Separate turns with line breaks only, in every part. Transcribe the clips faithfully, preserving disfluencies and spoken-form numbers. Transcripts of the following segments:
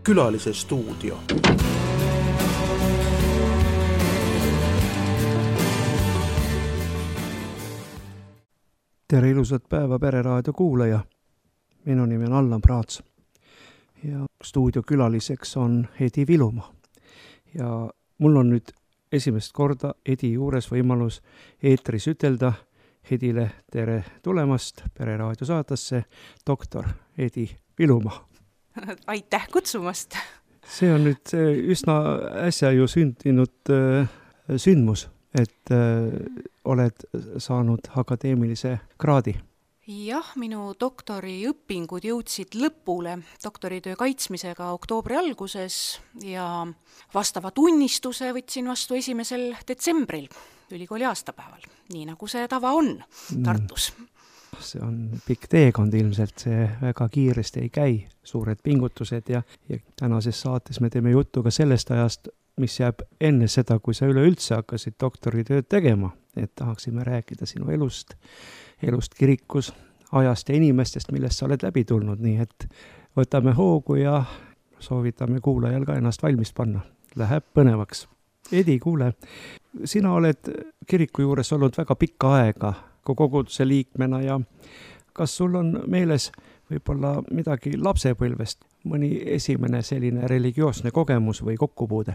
Külalise stuudio.
Tere ilusat päeva Pereraadio kuulaja. Minu nimi on Allan Praats ja stuudio külaliseks on Edi Vilumaa. Ja mul on nüüd esimest korda Edi juures võimalus eetris ütelda Edile tere tulemast Pereraadio saatesse, doktor Edi Vilumaa.
Aitäh kutsumast!
See on nüüd üsna äsja ju sündinud äh, sündmus, et äh, oled saanud akadeemilise kraadi.
Jah, minu doktoriõpingud jõudsid lõpule doktoritöö kaitsmisega oktoobri alguses ja vastava tunnistuse võtsin vastu esimesel detsembril ülikooli aastapäeval, nii nagu see tava on Tartus.
See on pikk teekond ilmselt, see väga kiiresti ei käi, suured pingutused ja, ja tänases saates me teeme juttu ka sellest ajast, mis jääb enne seda, kui sa üleüldse hakkasid doktoritööd tegema, et tahaksime rääkida sinu elust, elust kirikus, ajast ja inimestest, millest sa oled läbi tulnud, nii et võtame hoogu ja soovitame kuulajal ka ennast valmis panna. Läheb põnevaks. Edi, kuule, sina oled kiriku juures olnud väga pikka aega koguduse liikmena ja kas sul on meeles võib-olla midagi lapsepõlvest, mõni esimene selline religioosne kogemus või kokkupuude?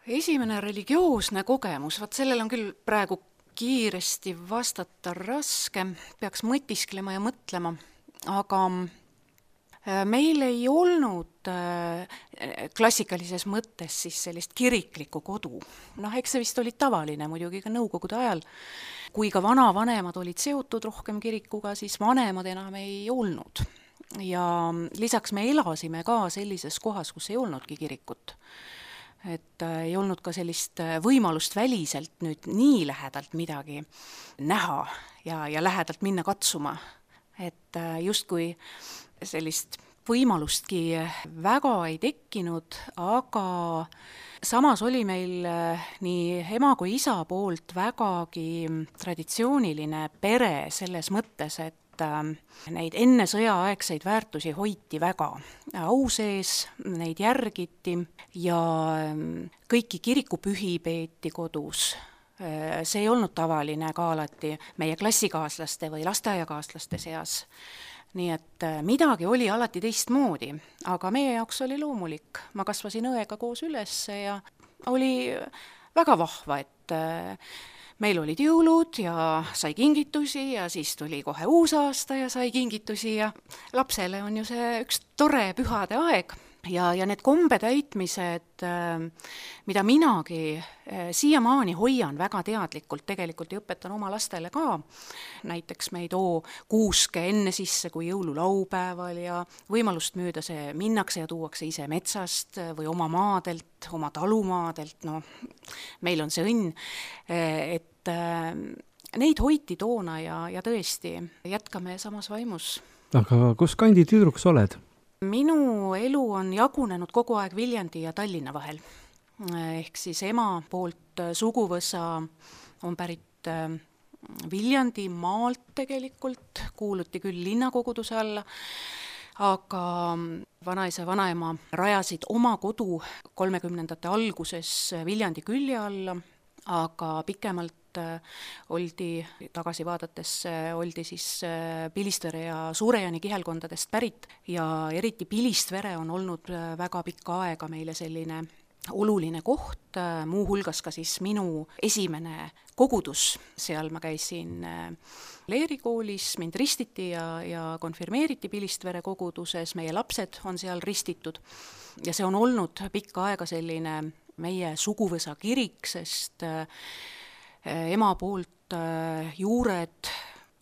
Esimene religioosne kogemus, vaat sellel on küll praegu kiiresti vastata raske, peaks mõtisklema ja mõtlema, aga meil ei olnud klassikalises mõttes siis sellist kiriklikku kodu. Noh, eks see vist oli tavaline muidugi ka nõukogude ajal. Kui ka vanavanemad olid seotud rohkem kirikuga, siis vanemad enam ei olnud. Ja lisaks me elasime ka sellises kohas, kus ei olnudki kirikut. Et ei olnud ka sellist võimalust väliselt nüüd nii lähedalt midagi näha ja, ja lähedalt minna katsuma. Et just kui sellist võimalustki väga ei tekkinud, aga samas oli meil nii ema kui isa poolt vägagi traditsiooniline pere selles mõttes, et neid enne sõjaaegseid väärtusi hoiti väga au sees, neid järgiti ja kõiki kirikupühi peeti kodus. See ei olnud tavaline ka alati meie klassikaaslaste või lasteaiakaaslaste seas. Nii et midagi oli alati teistmoodi, aga meie jaoks oli loomulik. Ma kasvasin õega koos üles ja oli väga vahva, et meil olid jõulud ja sai kingitusi ja siis tuli kohe uus aasta ja sai kingitusi ja lapsele on ju see üks tore pühade aeg. Ja, ja need kombe täitmised, mida minagi siiamaani hoian väga teadlikult, tegelikult ja õpetan oma lastele ka. Näiteks me ei too kuuske enne sisse kui jõululaupäeval ja võimalust müüda see minnakse ja tuuakse ise metsast või oma maadelt, oma talumaadelt. No, meil on see õnn, et neid hoiti toona ja, ja tõesti jätkame samas vaimus.
Aga kus kandi tüdruks oled?
Minu elu on jagunenud kogu aeg Viljandi ja Tallinna vahel. Ehk siis ema poolt suguvõsa on pärit Viljandi maalt tegelikult, kuuluti küll linnakoguduse alla, aga vanaisa ja vanaema rajasid oma kodu kolmekümnendate alguses Viljandi külje alla, aga pikemalt oldi, tagasi vaadates, oldi siis Pilistvere ja Suurejani kihelkondadest pärit ja eriti Pilistvere on olnud väga pikka aega meile selline oluline koht, muu hulgas ka siis minu esimene kogudus. Seal ma käisin leerikoolis, mind ristiti ja, ja konfirmeeriti Pilistvere koguduses, meie lapsed on seal ristitud ja see on olnud pikka aega selline meie suguvõsa kirik, sest ema poolt juured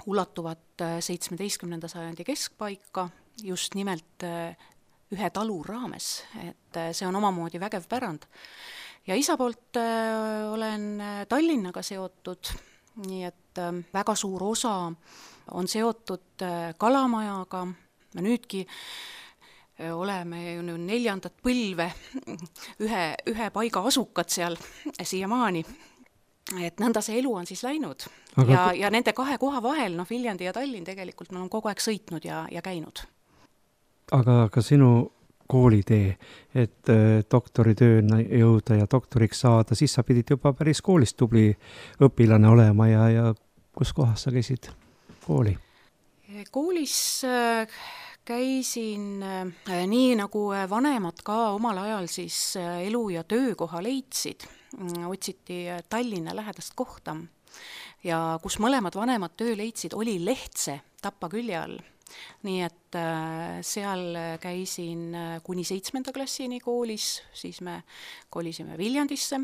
ulatuvad seitsmeteistkümnenda sajandi keskpaika just nimelt ühe talu raames, et see on omamoodi vägev pärand. Ja isa poolt olen Tallinnaga seotud, nii et väga suur osa on seotud Kalamajaga. Me nüüdki oleme ju neljandat põlve ühe, ühe paiga asukad seal siiamaani. Et nõnda see elu on siis läinud. Aga... Ja, ja nende kahe koha vahel, noh Viljandi ja Tallinn tegelikult me on kogu aeg sõitnud ja, ja käinud.
Aga ka sinu koolitee, et doktoritööna jõuda ja doktoriks saada, siis sa pidid juba päris koolist tubli õpilane olema ja, ja kus kohas sa käisid kooli?
Koolis käisin nii, nagu vanemad ka omal ajal siis elu- ja töökoha leidsid. Otsiti Tallinna lähedast kohta ja kus mõlemad vanemad töö leidsid, oli Lehtse Tapa külje all. Nii et seal käisin kuni seitsmenda klassini koolis, siis me kolisime Viljandisse,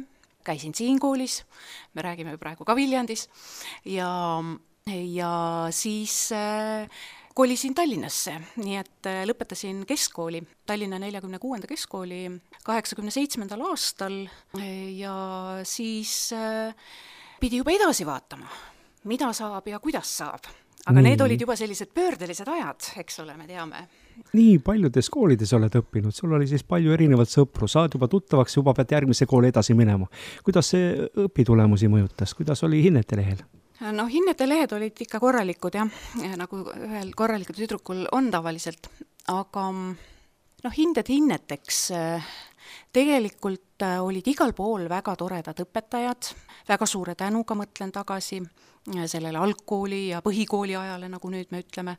käisin siin koolis, me räägime praegu ka Viljandis, ja, ja siis kolisin Tallinnasse, nii et lõpetasin keskkooli, Tallinna neljakümne kuuenda keskkooli kaheksakümne seitsmendal aastal ja siis pidi juba edasi vaatama, mida saab ja kuidas saab. Aga nii. Need olid juba sellised pöördelised ajad, eks ole, me teame.
Nii paljudes koolides oled õppinud, sul oli siis palju erinevat sõpru, saad juba tuttavaks, juba pead järgmise kooli edasi minema. Kuidas see õpitulemusi mõjutas, kuidas oli hinnete lehel?
No hinnete lehed olid ikka korralikud, jah, nagu ühel korralikul tüdrukul on tavaliselt, aga no hinded hinneteks tegelikult olid igal pool väga toredad õpetajad, väga suure tänuga mõtlen tagasi sellele algkooli ja põhikooli ajale, nagu nüüd me ütleme.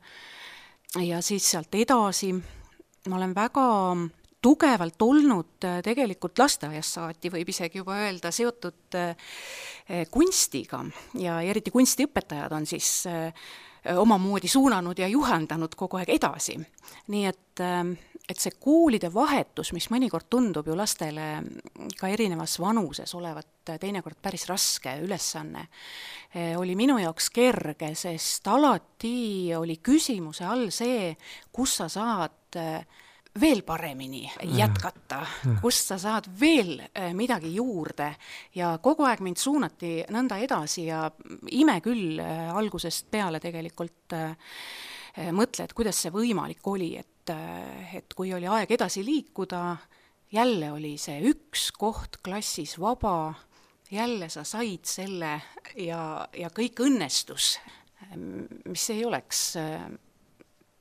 Ja siis sealt edasi ma olen väga tugevalt olnud tegelikult lasteaiast saati, võib isegi juba öelda, seotud kunstiga ja eriti kunstiõpetajad on siis omamoodi suunanud ja juhendanud kogu aeg edasi. Nii et, et see koolide vahetus, mis mõnikord tundub ju lastele ka erinevas vanuses olevat teinekord päris raske ülesanne, oli minu jaoks kerge, sest alati oli küsimuse all see, kus sa saad veel paremini jätkata, kust sa saad veel midagi juurde ja kogu aeg mind suunati nõnda edasi ja ime küll algusest peale tegelikult mõtled, kuidas see võimalik oli, et, et kui oli aeg edasi liikuda, jälle oli see üks koht klassis vaba, jälle sa said selle ja, ja kõik õnnestus, mis ei oleks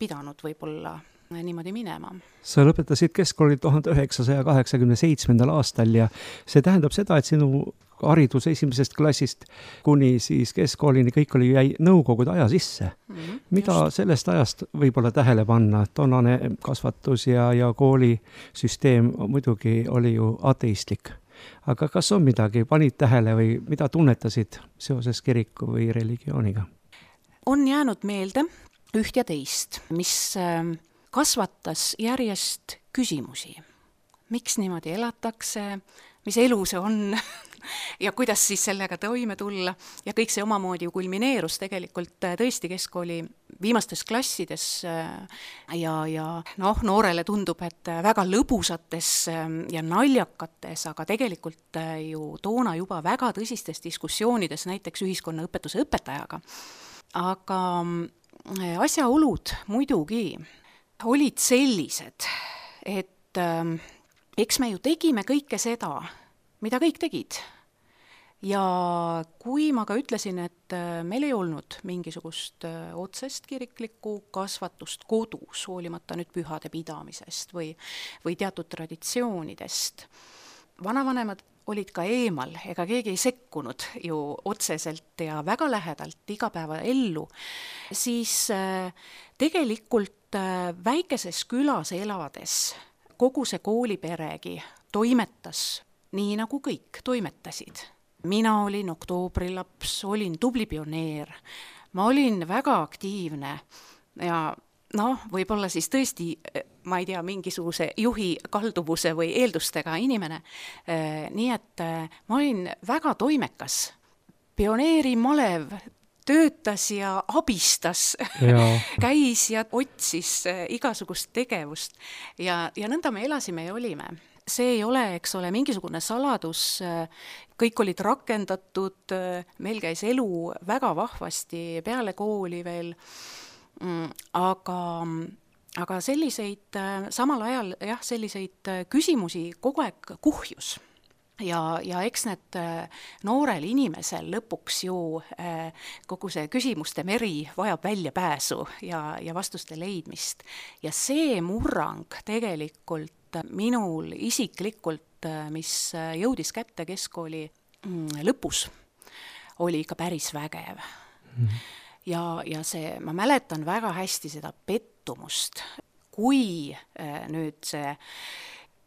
pidanud võib-olla niimoodi minema.
Sa lõpetasid keskkooli tuhande üheksasaja kaheksakümne seitsmendal aastal ja see tähendab seda, et sinu haridus esimesest klassist kuni siis keskkoolini kõik oli jäi nõukogude aja sisse. Mm-hmm, Mida just. Sellest ajast võib-olla tähele panna? Toonane kasvatus ja, ja koolisüsteem muidugi oli ju ateistlik. Aga kas on midagi, panid tähele või mida tunnetasid seoses kiriku või religiooniga?
On jäänud meelde üht ja teist, mis kasvatas järjest küsimusi. Miks niimoodi elatakse, mis elu see on ja kuidas siis sellega toime tulla. Ja kõik see omamoodi ju kulmineerus tegelikult tõesti keskkooli viimastes klassides ja, ja noh, noorele tundub, et väga lõbusates ja naljakates, aga tegelikult ju toona juba väga tõsistes diskussioonides näiteks ühiskonnaõpetuse õpetajaga. Aga asjaolud muidugi olid sellised, et äh, eks me ju tegime kõike seda, mida kõik tegid. Ja kui ma ka ütlesin, et äh, meil ei olnud mingisugust äh, otsest kiriklikku kasvatust kodus, hoolimata nüüd pühade pidamisest või, või teatud traditsioonidest, vanavanemad olid ka eemal, ega keegi ei sekkunud ju otseselt ja väga lähedalt igapäeva ellu, siis äh, tegelikult äh, väikeses külas elades kogu see kooliperegi toimetas nii, nagu kõik toimetasid. Mina olin oktoobrilaps, olin tubli pioneer, ma olin väga aktiivne ja noh, võib-olla siis tõesti, ma ei tea, mingisuguse juhi kalduvuse või eeldustega inimene. Nii et ma olin väga toimekas. Pioneeri malev töötas ja abistas, ja. käis ja otsis igasugust tegevust ja, ja nõnda me elasime ja olime. See ei ole, eks ole, mingisugune saladus, kõik olid rakendatud, meil käis elu väga vahvasti peale kooli veel, aga, aga selliseid, samal ajal jah, selliseid küsimusi kogu aeg kuhjus. ja, ja eks need noorel inimesel lõpuks ju kogu see küsimuste meri vajab väljapääsu ja, ja vastuste leidmist. Ja see murrang tegelikult minul isiklikult, mis jõudis kätte keskkooli lõpus, oli ikka päris vägev. Mm. Ja, ja see, ma mäletan väga hästi seda pettumust, kui nüüd see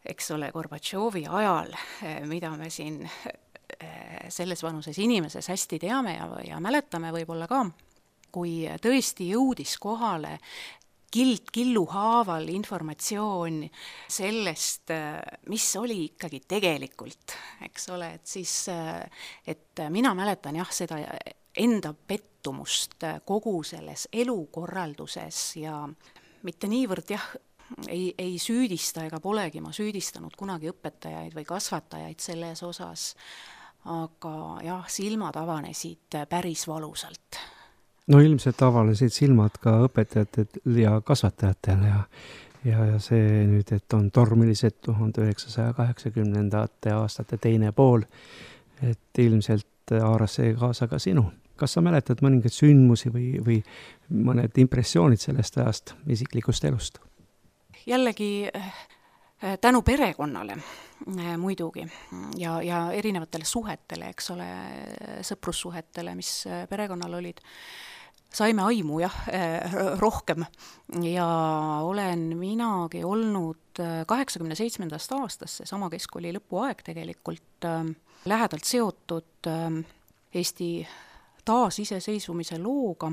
eks ole, Gorbatšovi ajal, mida me siin selles vanuses inimeses hästi teame ja, ja mäletame võib-olla ka, kui tõesti jõudis kohale kild killu haaval informatsioon sellest, mis oli ikkagi tegelikult, eks ole, et siis, et mina mäletan jah, seda enda pettumust kogu selles elukorralduses ja mitte niivõrd jah, Ei, ei süüdista ega polegi ma süüdistanud kunagi õpetajaid või kasvatajaid selles osas, aga jah, silmad avanesid päris valusalt.
No ilmselt avanesid silmad ka õpetajatel ja kasvatajatel ja, ja, ja see nüüd, et on tormilised tuhande üheksasaja kaheksakümnendate aastate teine pool, et ilmselt haaras see kaasa ka sinu. Kas sa mäletad mõningaid sündmusi või, või mõned impressioonid sellest ajast isiklikust elust?
Jällegi tänu perekonnale muidugi ja, ja erinevatele suhetele, eks ole, sõprussuhetele, mis perekonnal olid, saime aimu jah, rohkem ja olen minagi olnud kaheksakümne seitsmendast aastast, see sama keskkooli lõpuaeg tegelikult lähedalt seotud Eesti taasiseseisvumise looga,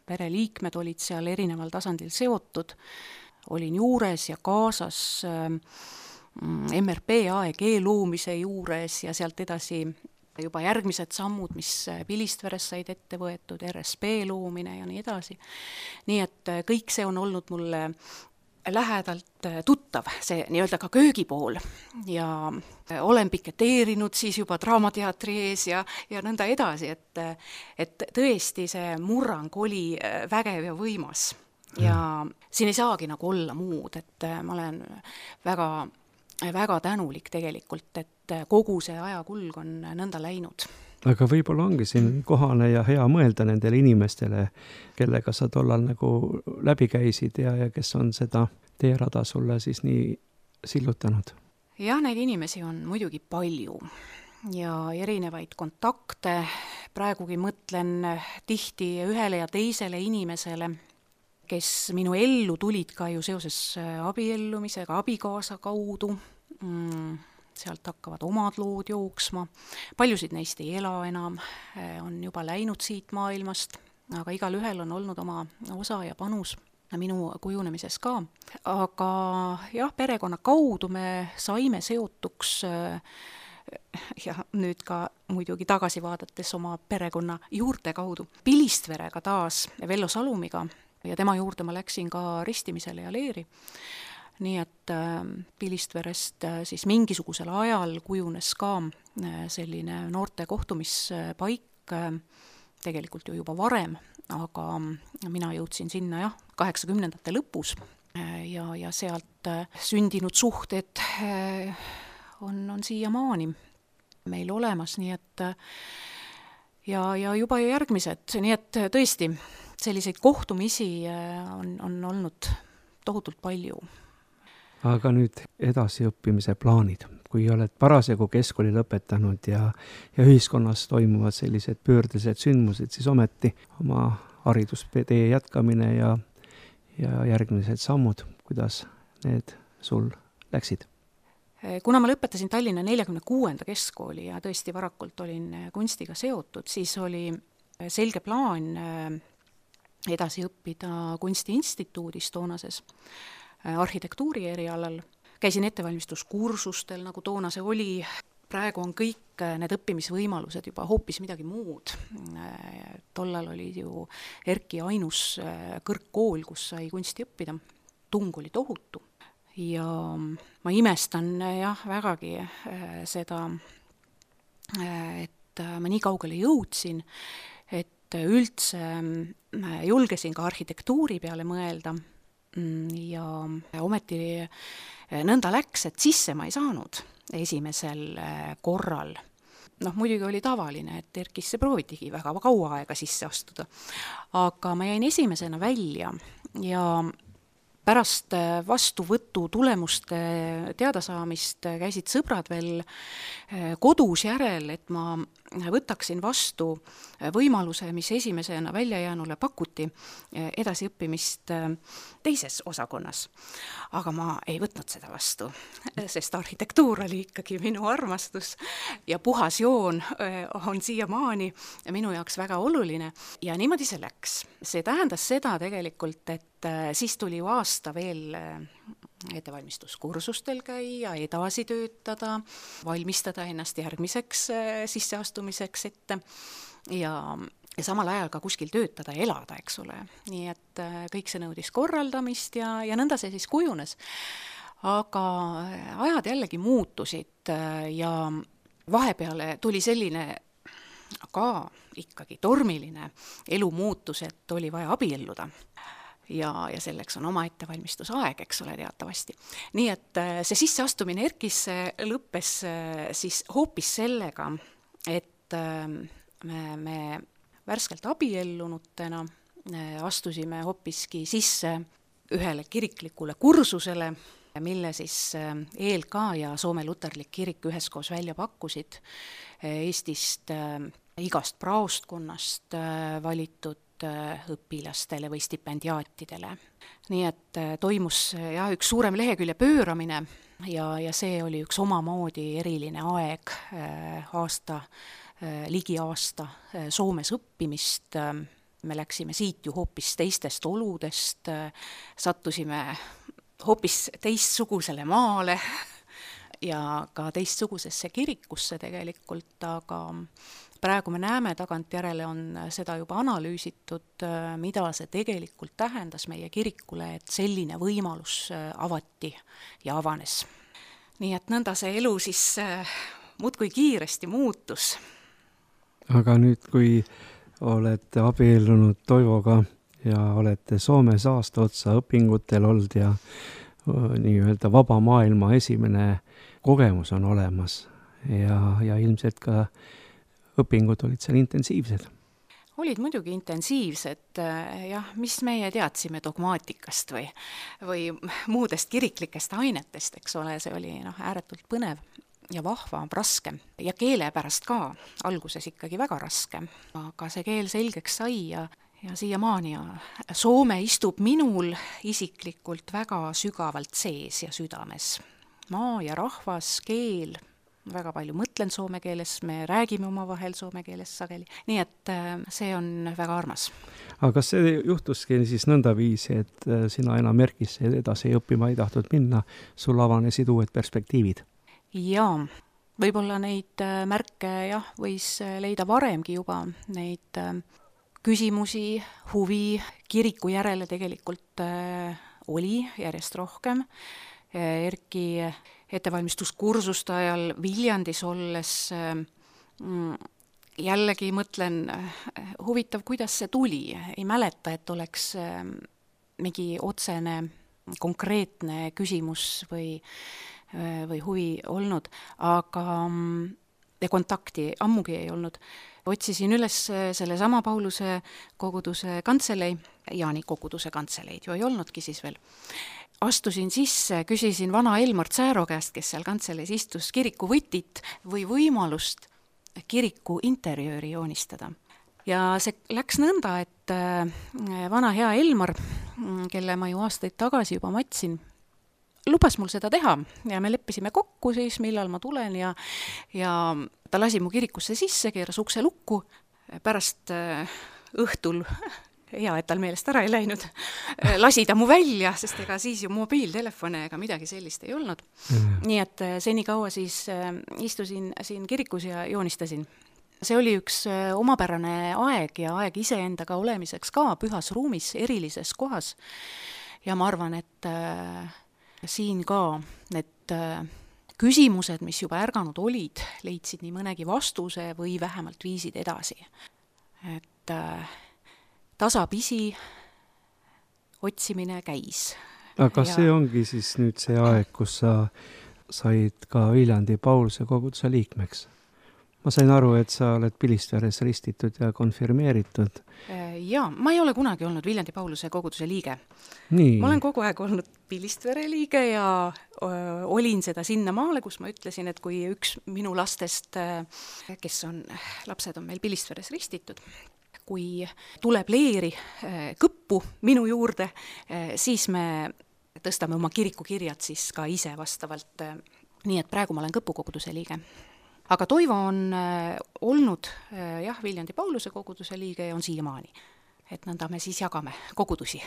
pereliikmed olid seal erineval tasandil seotud, olin juures ja kaasas M R P A E G loomise juures ja sealt edasi juba järgmised sammud, mis Pilistveres said ette võetud, R S P loomine ja nii edasi. Nii et kõik see on olnud mulle lähedalt tuttav, see nii-öelda ka köögipool ja olen piketeerinud siis juba Draamateatri ees ja, ja nõnda edasi, et, et tõesti see murrang oli vägev ja võimas. Ja siin ei saagi nagu olla muud, et ma olen väga, väga tänulik tegelikult, et kogu see ajakulg on nõnda läinud.
Aga võib-olla ongi siin kohane ja hea mõelda nendele inimestele, kellega sa tollal nagu läbi käisid ja, ja kes on seda teerada sulle siis nii sillutanud?
Jah, neid inimesi on muidugi palju ja erinevaid kontakte. Praegugi mõtlen tihti ühele ja teisele inimesele, kes minu ellu tulid ka ju seoses abiellumisega, abikaasa kaudu. Mm, sealt hakkavad omad lood jooksma. Paljusid neist ei ela enam, on juba läinud siit maailmast, aga igal ühel on olnud oma osa ja panus minu kujunemises ka. Aga jah, perekonna kaudu me saime seotuks ja nüüd ka muidugi tagasi vaadates oma perekonna juurte kaudu. Pilistverega taas, Vello Salumiga, ja tema juurde ma läksin ka ristimisele ja leeri. Nii et Pilistverest siis mingisugusel ajal kujunes ka selline noorte kohtumispaik, tegelikult ju juba varem, aga mina jõudsin sinna jah, kaheksakümnendate lõpus ja, ja sealt sündinud suhted on, on siiamaani meil olemas, nii et ja, ja juba järgmised, nii et tõesti selliseid kohtumisi on, on olnud tohutult palju.
Aga nüüd edasiõppimise plaanid, kui oled parasjagu keskkooli lõpetanud ja, ja ühiskonnas toimuvad sellised pöördelised sündmused, siis ometi oma haridustee jätkamine ja, ja järgmised sammud, kuidas need sul läksid?
Kuna ma lõpetasin Tallinna neljakümne kuuenda keskkooli ja tõesti varakult olin kunstiga seotud, siis oli selge plaan edasi õppida kunstiinstituudis toonases arhitektuuri erialal. Käisin ettevalmistuskursustel, nagu toona see oli. Praegu on kõik need õppimisvõimalused juba hoopis midagi muud. Tollal oli ju Erki ainus kõrgkool, kus sai kunsti õppida. Tung oli tohutu. Ja ma imestan jah, vägagi seda, et ma nii kaugele jõudsin, et üldse julgesin ka arhitektuuri peale mõelda ja ometi nõnda läks, et sisse ma ei saanud. esimesel korral. Noh, muidugi oli tavaline, et ERK-isse proovitigi väga kaua aega sisse astuda. Aga ma jäin esimesena välja ja pärast vastuvõtu tulemuste teadasaamist käisid sõbrad veel kodus järel, et ma võtaksin vastu võimaluse, mis esimesena väljajäänule pakuti, edasiõppimist teises osakonnas. Aga ma ei võtnud seda vastu, sest arhitektuur oli ikkagi minu armastus ja puhas joon on siiamaani minu jaoks väga oluline ja niimoodi see läks. See tähendas seda tegelikult, et siis tuli ju aasta veel ettevalmistuskursustel käia, edasi töötada, valmistada ennast järgmiseks sisseastumiseks ette ja, ja samal ajal ka kuskil töötada ja elada, eks ole. Nii et kõik see nõudis korraldamist ja, ja nõnda see siis kujunes. Aga ajad jällegi muutusid ja vahepeale tuli selline ka ikkagi tormiline elu muutus, et oli vaja abielluda. Ja, ja selleks on oma ettevalmistusaeg, eks ole, teatavasti. Nii et see sisseastumine ERK-isse lõppes siis hoopis sellega, et me, me värskelt abiellunutena astusime hoopiski sisse ühele kiriklikule kursusele, mille siis E L K ja Soome Luterlik kirik üheskoos välja pakkusid Eestist igast praostkonnast valitud õpilastele või stipendiaatidele. Nii et toimus jah, üks suurem lehekülje pööramine ja, ja see oli üks omamoodi eriline aeg, aasta, ligi aasta Soomes õppimist. Me läksime siit ju hoopis teistest oludest, sattusime hoopis teistsugusele maale ja ka teistsugusesse kirikusse tegelikult, aga praegu me näeme, tagantjärele on seda juba analüüsitud, mida see tegelikult tähendas meie kirikule, et selline võimalus avati ja avanes. Nii et nõnda see elu siis muudkui kiiresti muutus.
Aga nüüd, kui olete abiellunud Toivoga ja olete Soomes aasta otsa õpingutel olnud ja nii-öelda vaba maailma esimene kogemus on olemas ja, ja ilmselt ka õpingud olid seal intensiivsed?
Olid muidugi intensiivsed, jah, mis meie teadsime dogmaatikast või, või muudest kiriklikest ainetest, eks ole, see oli noh, ääretult põnev ja vahva, raske ja keele pärast ka, alguses ikkagi väga raske, aga see keel selgeks sai ja, ja siiamaani ja Soome istub minul isiklikult väga sügavalt sees ja südames. Maa ja rahvas, keel, väga palju mõtlen soome keeles, me räägime omavahel soome keeles sageli, nii et see on väga armas.
Aga kas see juhtuski siis nõndaviisi, et sina enam ERK-isse edasi õppima ei tahtnud minna, sul avanesid uued perspektiivid?
Jaa, võib-olla neid märke jah, võis leida varemgi juba, neid küsimusi, huvi kiriku järele tegelikult oli järjest rohkem. ERK-i ettevalmistuskursuste ajal Viljandis olles jällegi mõtlen, huvitav, kuidas see tuli. Ei mäleta, et oleks mingi otsene, konkreetne küsimus või, või huvi olnud, aga ja kontakti ammugi ei olnud. Otsisin üles selle sama Pauluse koguduse kantselei, Jaani koguduse kantseleid ju ei olnudki siis veel. Astusin sisse, küsisin vana Elmar Tsääro käest, kes seal kantseleis istus, kiriku võtit või võimalust kiriku interjööri joonistada. Ja see läks nõnda, et vana hea Elmar, kelle ma ju aastaid tagasi juba matsin, lubas mul seda teha ja me leppisime kokku siis, millal ma tulen ja, ja ta lasi mu kirikusse sisse, keeras ukse lukku, pärast õhtul hea, et tal meelest ära ei läinud, lasi ta mu välja, sest ega siis ju mobiiltelefone ega midagi sellist ei olnud. Mm. Nii et seni kaua siis istusin siin kirikus ja joonistasin. See oli üks omapärane aeg ja aeg iseendaga olemiseks ka pühas ruumis, erilises kohas. Ja ma arvan, et siin ka need küsimused, mis juba ärganud olid, leidsid nii mõnegi vastuse või vähemalt viisid edasi. Et tasapisi otsimine käis.
Aga kas ja... see ongi siis nüüd see aeg, kus sa said ka Viljandi Pauluse koguduse liikmeks. Ma sain aru, et sa oled Pilistveres ristitud ja konfirmeeritud.
Jaa, ma ei ole kunagi olnud Viljandi Pauluse koguduse liige.
Nii.
Ma olen kogu aeg olnud Pilistvere liige ja öö, olin seda sinna maale, kus ma ütlesin, et kui üks minu lastest, kes on, lapsed on meil Pilistveres ristitud, kui tuleb leeri kõppu minu juurde, siis me tõstame oma kirikukirjad siis ka ise vastavalt. Nii et praegu ma olen Kõpu koguduse liige. Aga Toivo on äh, olnud äh, jah, Viljandi Pauluse koguduse liige ja on siiamaani. Et nõnda me siis jagame kogudusi.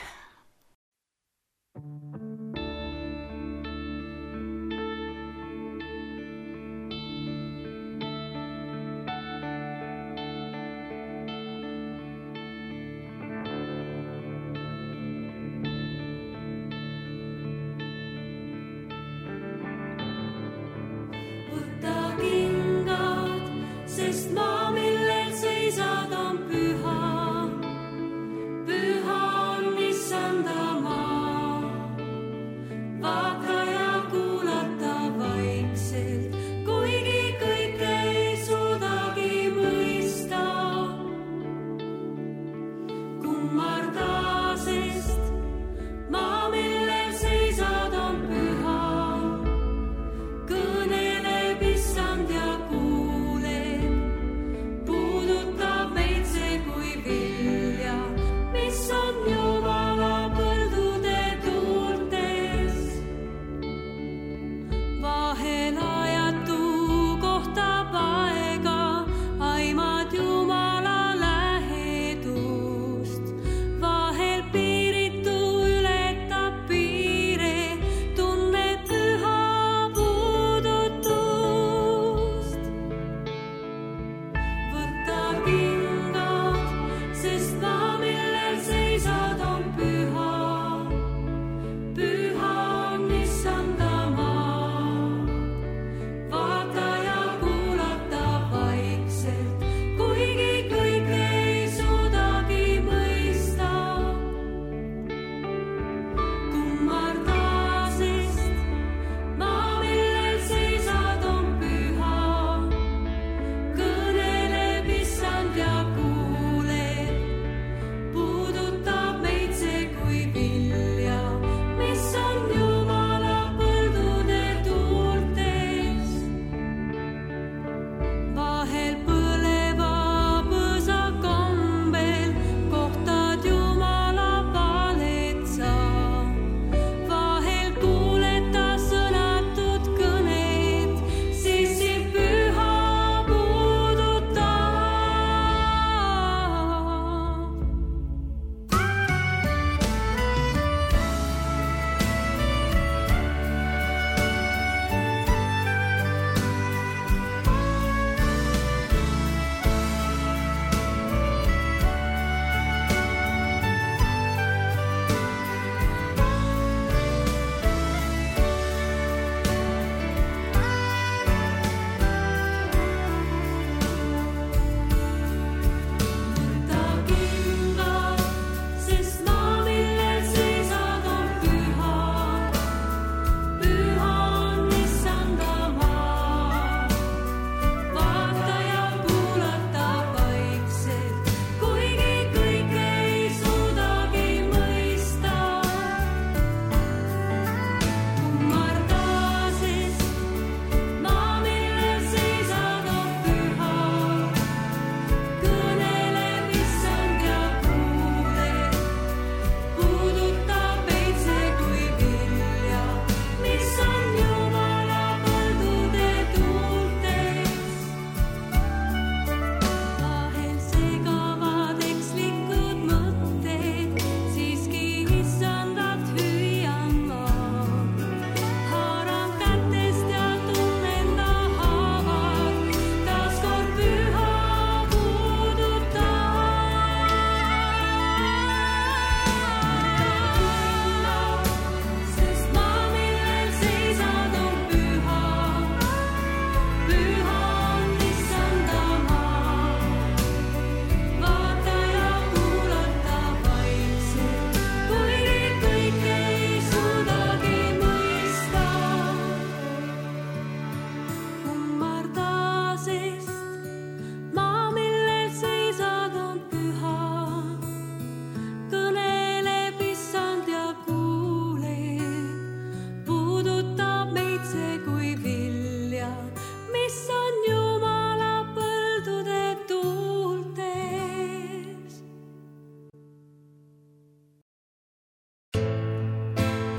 Püha on issanda maa.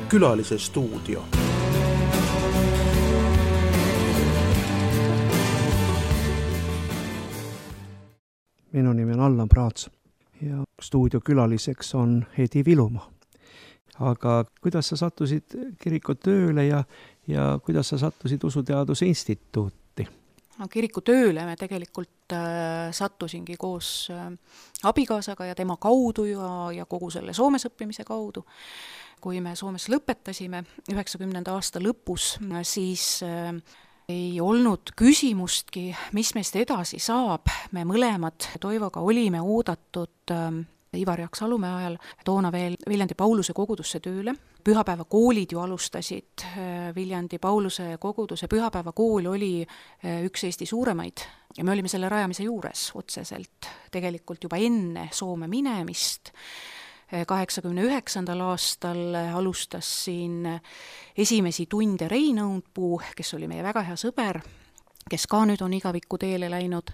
Külalise stuudio.
Minu nimi on Allan Praats ja stuudiokülaliseks on Hedi Vilumaa. Aga kuidas sa sattusid kiriku tööle ja, ja kuidas sa sattusid Usuteaduse Instituuti?
No, kiriku tööle me tegelikult äh, sattusingi koos äh, abikaasaga ja tema kaudu ja, ja kogu selle Soomes õppimise kaudu. Kui me Soomes lõpetasime üheksakümnenda aasta lõpus, siis äh, ei olnud küsimustki, mis meist edasi saab. Me mõlemad Toivoga olime oodatud äh, Ivar Jaak Salumäe ajal toona veel Viljandi Pauluse kogudusse tööle. Pühapäevakoolid ju alustasid. Viljandi Pauluse koguduse pühapäevakool oli üks Eesti suuremaid ja me olime selle rajamise juures otseselt tegelikult juba enne Soome minemist. kaheksakümne üheksandal aastal alustas siin esimesi tunde Rein Õunpuu, kes oli meie väga hea sõber, kes ka nüüd on igaviku teele läinud.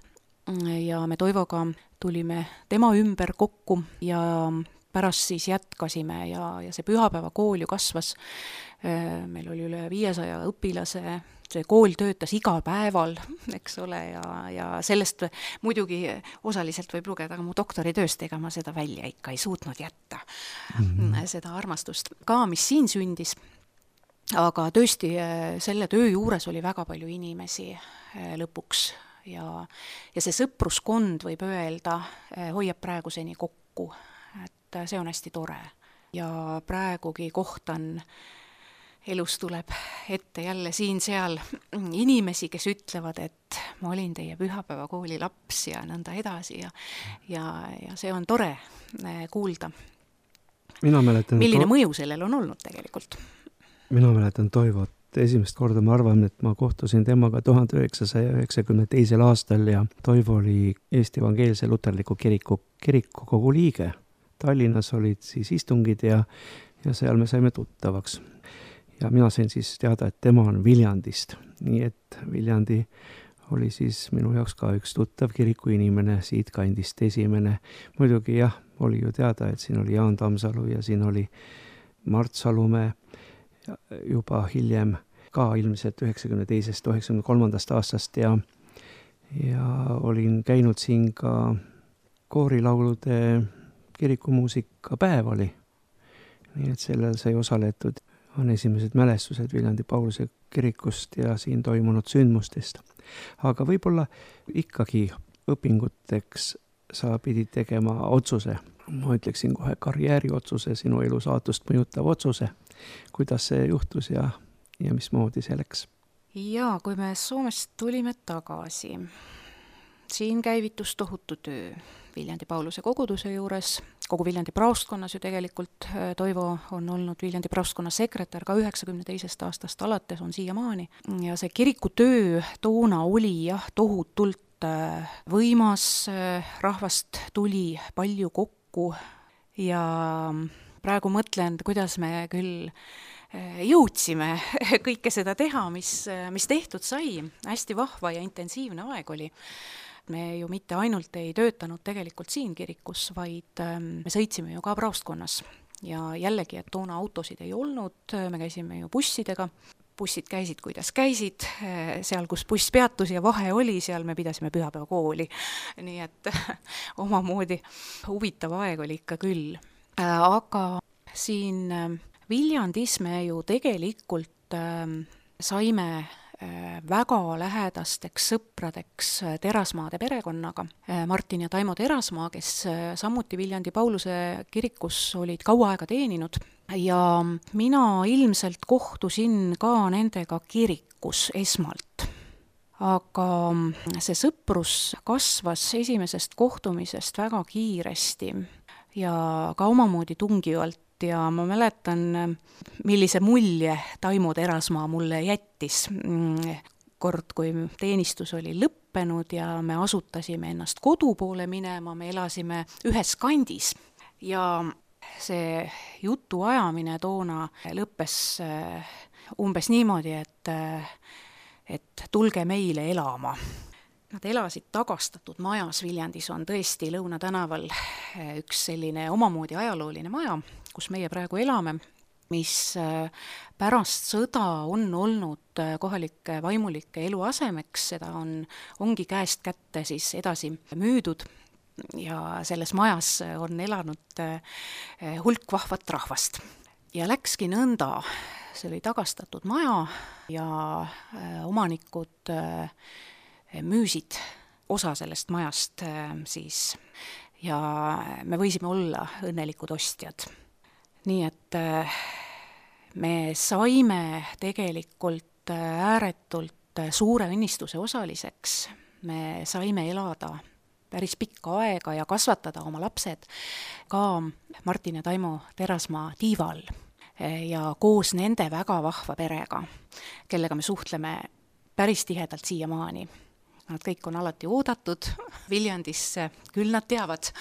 Ja me Toivoga tulime tema ümber kokku ja pärast siis jätkasime ja, ja see pühapäevakool ju kasvas. Meil oli üle viiesaja õpilase, see kool töötas igal päeval, eks ole, ja, ja sellest muidugi osaliselt võib lugeda, aga mu doktoritööst, ega ma seda välja ikka ei suutnud jätta, mm-hmm. seda armastust ka, mis siin sündis. Aga tõesti, selle töö juures oli väga palju inimesi lõpuks. Ja, ja see sõpruskond võib öelda, hoiab praeguseni kokku, et see on hästi tore. Ja praegugi kohtan, elus tuleb ette jälle siin-seal inimesi, kes ütlevad, et ma olin teie pühapäevakooli laps ja nõnda edasi ja, ja, ja see on tore kuulda.
Mina mäletan,
milline to... mõju sellel on olnud tegelikult?
Mina mäletan Toivot. Esimest korda ma arvan, et ma kohtusin temaga tuhande üheksasaja üheksakümne teisel aastal ja Toivo oli Eesti Evangeelse Luterliku kiriku kirikukogu liige. Tallinnas olid siis istungid ja, ja seal me saime tuttavaks. Ja mina sain siis teada, et tema on Viljandist. Nii et Viljandi oli siis minu jaoks ka üks tuttav kiriku inimene, siit kandist esimene. Muidugi jah, oli ju teada, et siin oli Jaan Tamsalu ja siin oli Mart Salumäe. Juba hiljem ka ilmselt üheksakümne teisest üheksakümne kolmandast aastast ja, ja olin käinud siin ka koorilaulude kirikumuusika päev oli. Nii et sellel sai osaletud, on esimesed mälestused Viljandi Pauluse kirikust ja siin toimunud sündmustest. Aga võib-olla ikkagi õpinguteks sa pidid tegema otsuse. Ma ütleksin kohe karjääri otsuse, sinu elu saatust mõjutav otsuse. Kuidas see juhtus ja, ja mismoodi see läks?
Jaa, kui me Soomest tulime tagasi, siin käivitus tohutu töö Viljandi Pauluse koguduse juures, kogu Viljandi praostkonnas ju tegelikult. Toivo on olnud Viljandi praostkonna sekretär ka üheksakümne teisest aastast alates, on siiamaani. Ja see kirikutöö toona oli jah, tohutult võimas, rahvast tuli palju kokku ja praegu mõtlen, kuidas me küll jõudsime kõike seda teha, mis, mis tehtud sai. Hästi vahva ja intensiivne aeg oli. Me ju mitte ainult ei töötanud tegelikult siin kirikus, vaid me sõitsime ju ka praostkonnas. Ja jällegi, et toona autosid ei olnud, me käisime ju bussidega. Bussid käisid, kuidas käisid, seal, kus buss peatus ja vahe oli, seal me pidasime pühapäevakooli. Nii et omamoodi huvitav aeg oli ikka küll. Aga siin Viljandis me ju tegelikult saime väga lähedasteks sõpradeks Terasmaade perekonnaga. Martin ja Taimo Terasmaa, kes samuti Viljandi Pauluse kirikus olid kaua aega teeninud. Ja mina ilmselt kohtusin ka nendega kirikus esmalt. Aga see sõprus kasvas esimesest kohtumisest väga kiiresti ja ka omamoodi tungivalt. Ja ma mäletan, millise mulje Taimo Terasmaa mulle jättis. Kord, kui teenistus oli lõppenud ja me asutasime ennast kodu poole minema, me elasime ühes kandis ja see jutu ajamine toona lõppes umbes niimoodi, et, et tulge meile elama. Nad elasid tagastatud majas. Viljandis on tõesti Lõuna tänaval üks selline omamoodi ajalooline maja, kus meie praegu elame. mis pärast sõda on olnud kohalike vaimulike eluasemeks, seda on, ongi käest kätte siis edasi müüdud ja selles majas on elanud hulk vahvat rahvast. Ja läkski nõnda, see oli tagastatud maja ja omanikud müüsid osa sellest majast siis ja me võisime olla õnnelikud ostjad. Nii et me saime tegelikult ääretult suure õnnistuse osaliseks, me saime elada päris pikka aega ja kasvatada oma lapsed ka Martin ja Taimo Terasmaa tiiva all ja koos nende väga vahva perega, kellega me suhtleme päris tihedalt siiamaani. Nad kõik on alati oodatud Viljandisse, küll nad teavad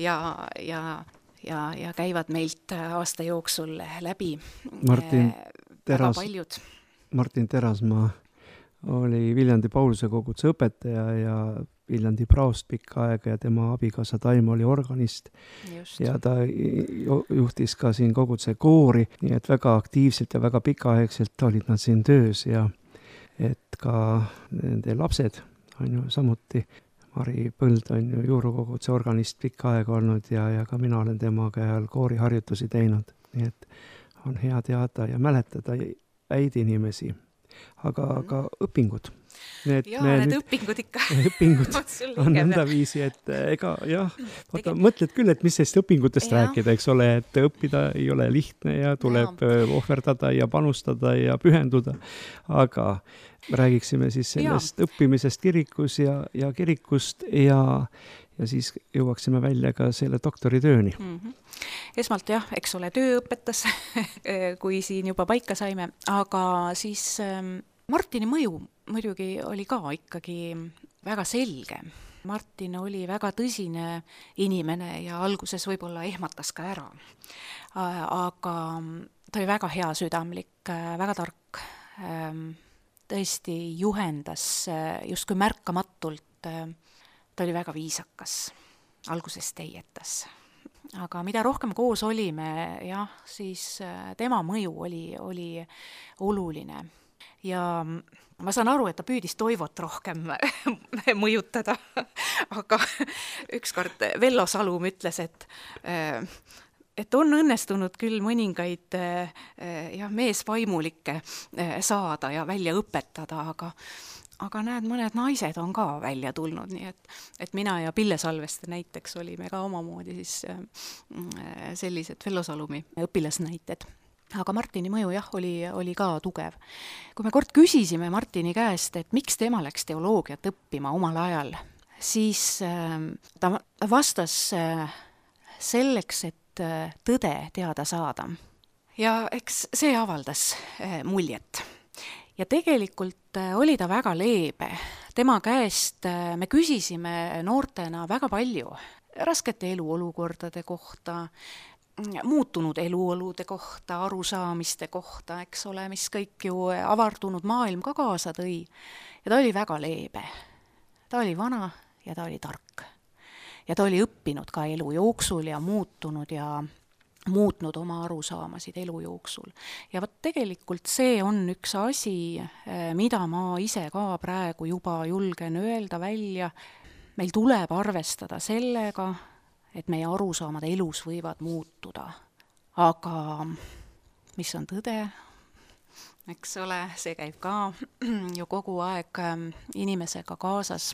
ja, ja, ja, ja käivad meilt aasta jooksul läbi
Martin Teras,
paljud.
Martin Terasmaa oli Viljandi Pauluse koguduse õpetaja ja Viljandi praost pikka aega ja tema abikaasa Taimo oli organist. Just. Ja ta juhtis ka siin koguduse koori, nii et väga aktiivselt ja väga pikaaegselt olid nad siin töös ja et ka nende lapsed on ju samuti. Mari Põld on ju juurukoguduse organist pikka aega olnud ja, ja ka mina olen temaga ajal kooriharjutusi teinud. Nii et on hea teada ja mäletada häid inimesi, aga mm. ka õpingud. Need,
ja, need nüüd, õpingud ikka.
Õpingud on nõnda viisi, et ega jah, vaata, mõtled küll, et mis sellest õpingutest ja. Rääkida, eks ole, et õppida ei ole lihtne ja tuleb ja. Ohverdada ja panustada ja pühenduda, aga räägiksime siis sellest ja. Õppimisest kirikus ja, ja kirikust ja, ja siis jõuaksime välja ka selle doktoritööni.
Mm-hmm. Esmalt jah, eks ole, töö õpetas, kui siin juba paika saime, aga siis Martini mõju muidugi oli ka ikkagi väga selge. Martin oli väga tõsine inimene ja alguses võib-olla ehmatas ka ära. Aga ta oli väga hea südamlik, väga tark, tõesti juhendas justkui märkamatult, ta oli väga viisakas, alguses teietas. Aga mida rohkem koos olime, jah, siis tema mõju oli, oli oluline. Ja ma saan aru, et ta püüdis Toivot rohkem mõjutada, aga ükskord Vello Salum ütles, et, et on õnnestunud küll mõningaid jah, meesvaimulikke saada ja välja õpetada, aga, aga näed, mõned naised on ka välja tulnud, nii et, et mina ja Pille Salveste näiteks olime ka omamoodi siis sellised Vello Salumi õpilasnäited. Aga Martini mõju jah, oli, oli ka tugev. Kui me kord küsisime Martini käest, et miks tema läks teoloogiat õppima omal ajal, siis ta vastas selleks, et tõde teada saada. Ja eks see avaldas muljet. Ja tegelikult oli ta väga leebe. Tema käest me küsisime noortena väga palju raskete eluolukordade kohta, muutunud eluolude kohta, arusaamiste kohta, eks ole, mis kõik ju avardunud maailm ka kaasa tõi. Ja ta oli väga leebe. Ta oli vana ja ta oli tark. Ja ta oli õppinud ka elu jooksul ja muutunud ja muutnud oma arusaamasid elu jooksul. Ja võt tegelikult see on üks asi, mida ma ise ka praegu juba julgen öelda välja. Meil tuleb arvestada sellega, et meie arusaamad elus võivad muutuda. Aga mis on tõde, eks ole, see käib ka ju kogu aeg inimesega kaasas,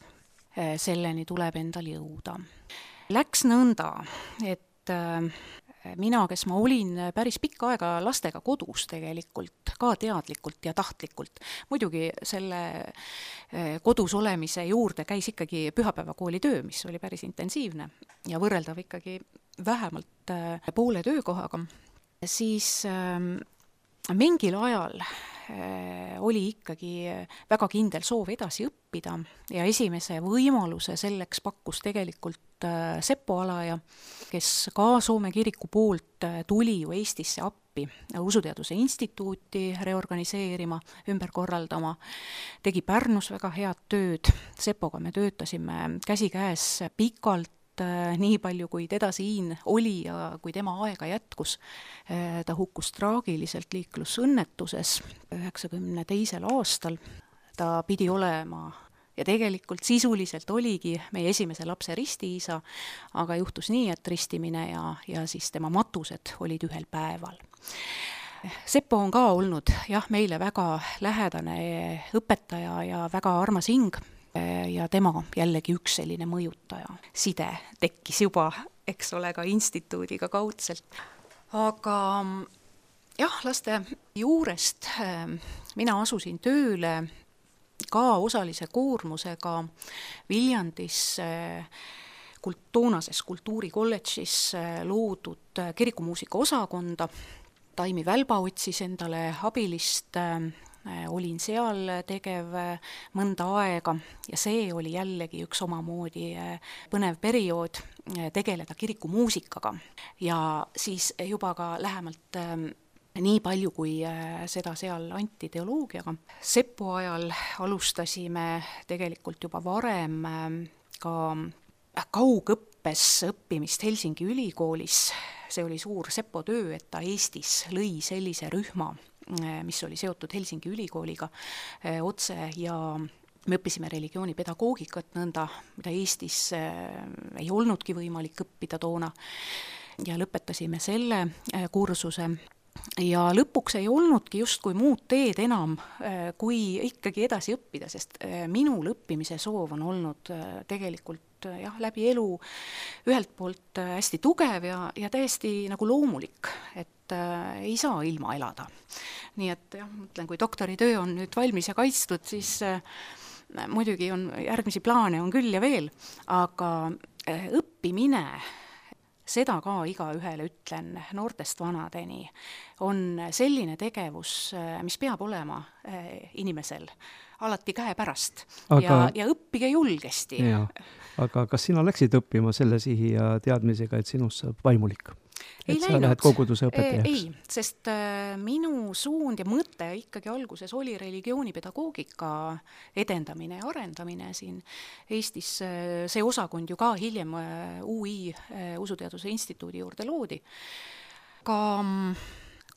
selleni tuleb endal jõuda. Läks nõnda, et mina, kes ma olin päris pikka aega lastega kodus tegelikult, ka teadlikult ja tahtlikult. Muidugi selle kodus olemise juurde käis ikkagi pühapäevakooli töö, mis oli päris intensiivne ja võrreldav ikkagi vähemalt poole töökohaga. Siis mingil ajal oli ikkagi väga kindel soov edasi õppida ja esimese võimaluse selleks pakkus tegelikult Seppo Alaja, kes ka Soome kiriku poolt tuli ju Eestisse appi Usuteaduse instituuti reorganiseerima, ümber korraldama, tegi Pärnus väga head tööd. Seppoga me töötasime käsikäes pikalt nii palju, kui teda siin oli ja kui tema aega jätkus. Ta hukkus traagiliselt liiklusõnnetuses üheksakümne teisel aastal. Ta pidi olema ja tegelikult sisuliselt oligi meie esimese lapse ristiisa, aga juhtus nii, et ristimine ja, ja siis tema matused olid ühel päeval. Seppo on ka olnud jah, meile väga lähedane õpetaja ja väga armas hing. Ja tema jällegi üks selline mõjutaja. Side tekkis juba, eks ole, ka instituudiga kaudselt. Aga jah, laste juurest mina asusin tööle ka osalise koormusega Viljandis toonases kultuurikolledžis loodud kirikumuusika osakonda. Taimi Välba otsis endale abilist, olin seal tegev mõnda aega ja see oli jällegi üks omamoodi põnev periood tegeleda kirikumuusikaga. Ja siis juba ka lähemalt nii palju, kui seda seal anti teoloogiaga. Seppo ajal alustasime tegelikult juba varem ka kaugõppes õppimist Helsingi ülikoolis. See oli suur Seppo töö, et ta Eestis lõi sellise rühma, mis oli seotud Helsingi ülikooliga otse ja me õppisime religioonipedagoogikat nõnda, mida Eestis ei olnudki võimalik õppida toona ja lõpetasime selle kursuse. Ja lõpuks ei olnudki justkui muud teed enam, kui ikkagi edasi õppida, sest minul õppimise soov on olnud tegelikult jah, läbi elu ühelt poolt hästi tugev ja, ja täiesti nagu loomulik, et äh, ei saa ilma elada. Nii et jah, mõtlen, kui doktoritöö on nüüd valmis ja kaitstud, siis äh, muidugi on järgmisi plaane on küll ja veel, aga äh, õppimine, seda ka iga ühele ütlen noortest vanadeni, on selline tegevus, mis peab olema inimesel alati käe pärast aga, ja, ja õppige julgesti.
Ja, aga kas sina läksid õppima selle sihi ja teadmisega, et sinust saab vaimulik?
Ei
et sa
läinud.
Lähed koguduse õpetajaks?
Ei, sest äh, minu suund ja mõte ikkagi alguses oli religioonipedagoogika edendamine ja arendamine siin Eestis. See osakond ju ka hiljem äh, U I äh, Usuteaduse Instituudi juurde loodi. Aga